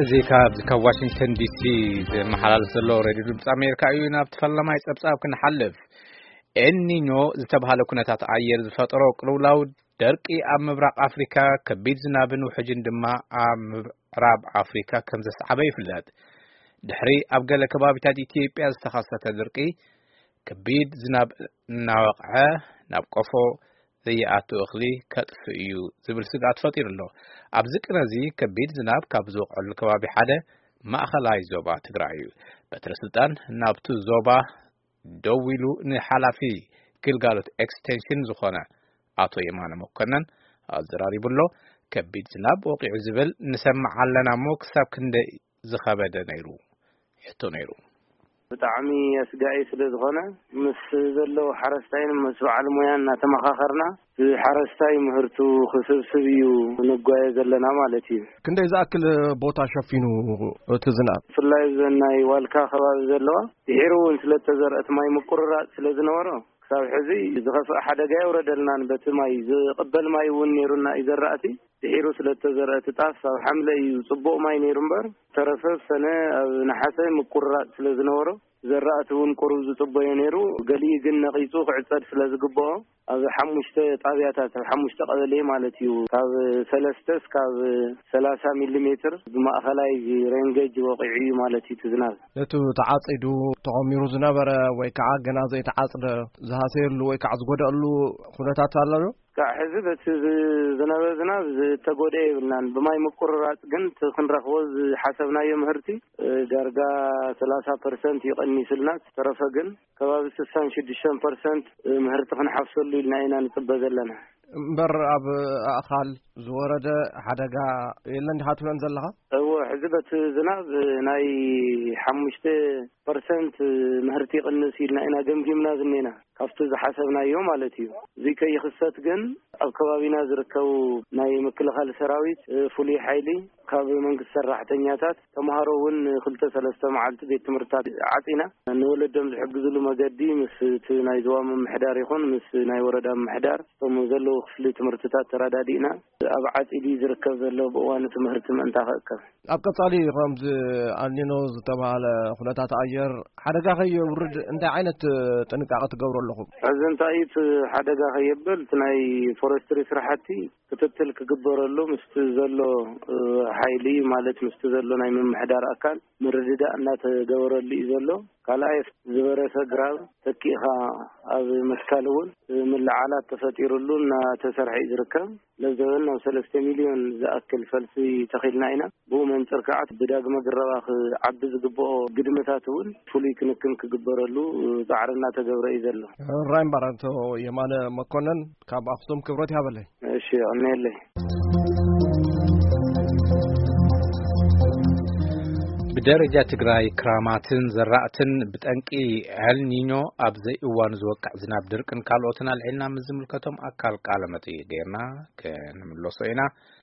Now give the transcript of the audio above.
እዚ ካብ ካብ ዋሽንግተን ዲሲ ዝመሓላለፍ ዘሎ ሬድዮ ድምፂ ኣሜሪካ እዩ። ናብ ፈላማይ ፀብፃብ ክንሓልፍ፣ ኤልኒኞ ዝተባህለ ኩነታት ኣየር ዝፈጠሮ ቅልውላው ደርቂ ኣብ ምብራቕ ኣፍሪካ፣ ከቢድ ዝናብን ውሕጅን ድማ ኣብ ምዕራብ ኣፍሪካ ከም ዘስዓበ ይፍለጥ። ድሕሪ ኣብ ገለ ከባቢታት ኢትዮጵያ ዝተኸሰተ ድርቂ፣ ከቢድ ዝናብ እናወቕዐ ናብ ቆፎ ዘይኣቱ እኽሊ ከጥፍ እዩ ዝብል ስግኣት ፈጢሩ ኣሎ። ኣብዚ ቅነ እዚ ከቢድ ዝናብ ካብ ዝወቕዐሉ ከባቢ ሓደ ማእኸላይ ዞባ ትግራይ እዩ። በትረ ስልጣን ናብቲ ዞባ ደዊሉ ንሓላፊ ግልጋሎት ኤክስቴንሽን ዝኾነ ኣቶ የማነ መኮነን ኣዘራሪቡ ኣሎ። ከቢድ ዝናብ ወቂዑ ዝብል ንሰምዕ ኣለና እሞ ክሳብ ክንደይ ዝኸበደ ነይሩ? ሕቶ ነይሩ። ብጣዕሚ ኣስጋኢ ስለ ዝኾነ፣ ምስ ዘለዉ ሓረስታይን ምስ በዓል ሞያን እናተመኻኸርና፣ እቲ ሓረስታይ ምህርቱ ክስብስብ እዩ ንጓየ ዘለና ማለት እዩ። ክንደይ ዝኣክል ቦታ ሸፊኑ እቲ ዝናብ? ብፍላይ እዘን ናይ ዋልካ ከባቢ ዘለዋ፣ ድሒሩ እውን ስለተዘርአት ማይ ምቁርራጥ ስለ ዝነበሮ፣ ክሳብ ሕዚ ዝኸፍአ ሓደጋ የውረደልናን፣ በቲ ማይ ዝቕበል ማይ እውን ነይሩና እዩ ዘራእቲ። ድሒሩ ስለተዘርአ እቲ ጣፍ ኣብ ሓምለ እዩ ጽቡቕ ማይ ነይሩ እምበር፣ ተረፈ ሰነ ኣብ ነሓሰ ምቁርራጥ ስለ ዝነበሮ፣ ዘራእቲ እውን ቁሩብ ዝጽበዮ ነይሩ። ገሊኡ ግን ነቒጹ ክዕጸድ ስለ ዝግብኦ፣ ኣብ ሓሙሽተ ጣብያታት፣ ኣብ ሓሙሽተ ቀበሌ ማለት እዩ፣ ካብ ሰለስተ እስካብ ሰላሳ ሚሊ ሜትር ብማእኸላይ ሬንጌጅ ወቒዑ እዩ ማለት እዩ እቲ ዝናብ። ነቲ ተዓጺዱ ተቖሚሩ ዝነበረ ወይ ከዓ ገና ዘይተዓጽደ ዝሃሰየሉ ወይ ከዓ ዝጎደኣሉ ኩነታት ኣሎ ዶ? ክሳዕ ሕዚ በቲ ዝ-፣ ዝነበ ዝናብ ዝተጎድአ የብልናን። ብማይ ምቁርራጽ ግን እቲ ክንረኽቦ ዝሓሰብናዮ ምህርቲ፣ እ፣ ዳርጋ ሰላሳ ፐርሰንት እዩ ቀኒስልና። ዝተረፈ ግን ከባቢ ስሳን ሽዱሽተን ፐርሰንት ምህርቲ ክንሓፍሰሉ ኢልና ኢና ንጽበ ዘለና። እምበር ኣብ ኣእኻል ዝወረደ ሓደጋ የለን ዲኻ ትብለን ዘለኻ? እወ፣ ሕዚ በቲ ዝናብ ናይ ሓሙሽተ ፐርሰንት ምህርቲ ይቕንስ ኢልና ኢና ገምጊምና ዝኔና፣ ካብቲ ዝሓሰብናዮ ማለት እዩ። እዚ ከይኽሰት ግን ኣብ ከባቢና ዝርከቡ ናይ ምክልኻል ሰራዊት፣ ፍሉይ ሓይሊ፣ ካብ መንግስቲ ሰራሕተኛታት፣ ተምሃሮ እውን ክልተ ሰለስተ መዓልቲ ቤት ትምህርትታት ዓፂና፣ ንወለዶም ዝሕግዝሉ መገዲ ምስ እቲ ናይ ዞባ ምምሕዳር ይኹን ምስ ናይ ወረዳ ምምሕዳር፣ እቶም ዘለዉ ክፍሊ ትምህርትታት ተረዳዲእና፣ ኣብ ዓፂዲ ዝርከብ ዘሎ ብእዋኑ ትምህርቲ ምእንታ ክእከብ። ኣብ ቀጻሊ ከምዚ ኣልኒኖ ዝተባህለ ኩነታት ኣየር ሓደጋ ከየውርድ እንታይ ዓይነት ጥንቃቐ ትገብሩ ኣለኹም? ሕዚ እንታይ እቲ ሓደጋ ከየብል፣ እቲ ናይ ፎረስትሪ ስራሕቲ ክትትል ክግበረሉ ምስቲ ዘሎ፣ እ፣ ሓይሊ ማለት ምስቲ ዘሎ ናይ ምምሕዳር ኣካል ምርድዳእ እናተገበረሉ እዩ ዘሎ። ካልኣይ ዝበረሰ ግራብ ተኪእኻ ኣብ ምትካል እውን ምልዓላት ተፈጢሩሉ እናተሰርሐ እዩ ዝርከብ። ለዘበን ናብ ሰለስተ ሚልዮን ዝኣክል ፈልሲ ተኺልና ኢና። ብኡ መንፅር ከዓ ብዳግመ ግረባ ክዓቢ ዝግብኦ ግድምታት እውን ፍሉይ ክንክን ክግበረሉ ፃዕሪ እናተገብረ እዩ ዘሎ። ራይ እምበኣር ኣቶ የማነ መኮነን ካብ ኣኽሱም ክብረት ይሃበለይ። እሺ፣ የቐንየለይ። ብደረጃ ትግራይ ክራማትን ዘራእትን ብጠንቂ ኤልኒኞ ኣብ ዘይእዋኑ ዝወቅዕ ዝናብ ድርቅን ካልኦትን ኣልዒልና ምስ ዝምልከቶም ኣካል ቃለ መጠይቅ ጌርና ክንምለሶ ኢና።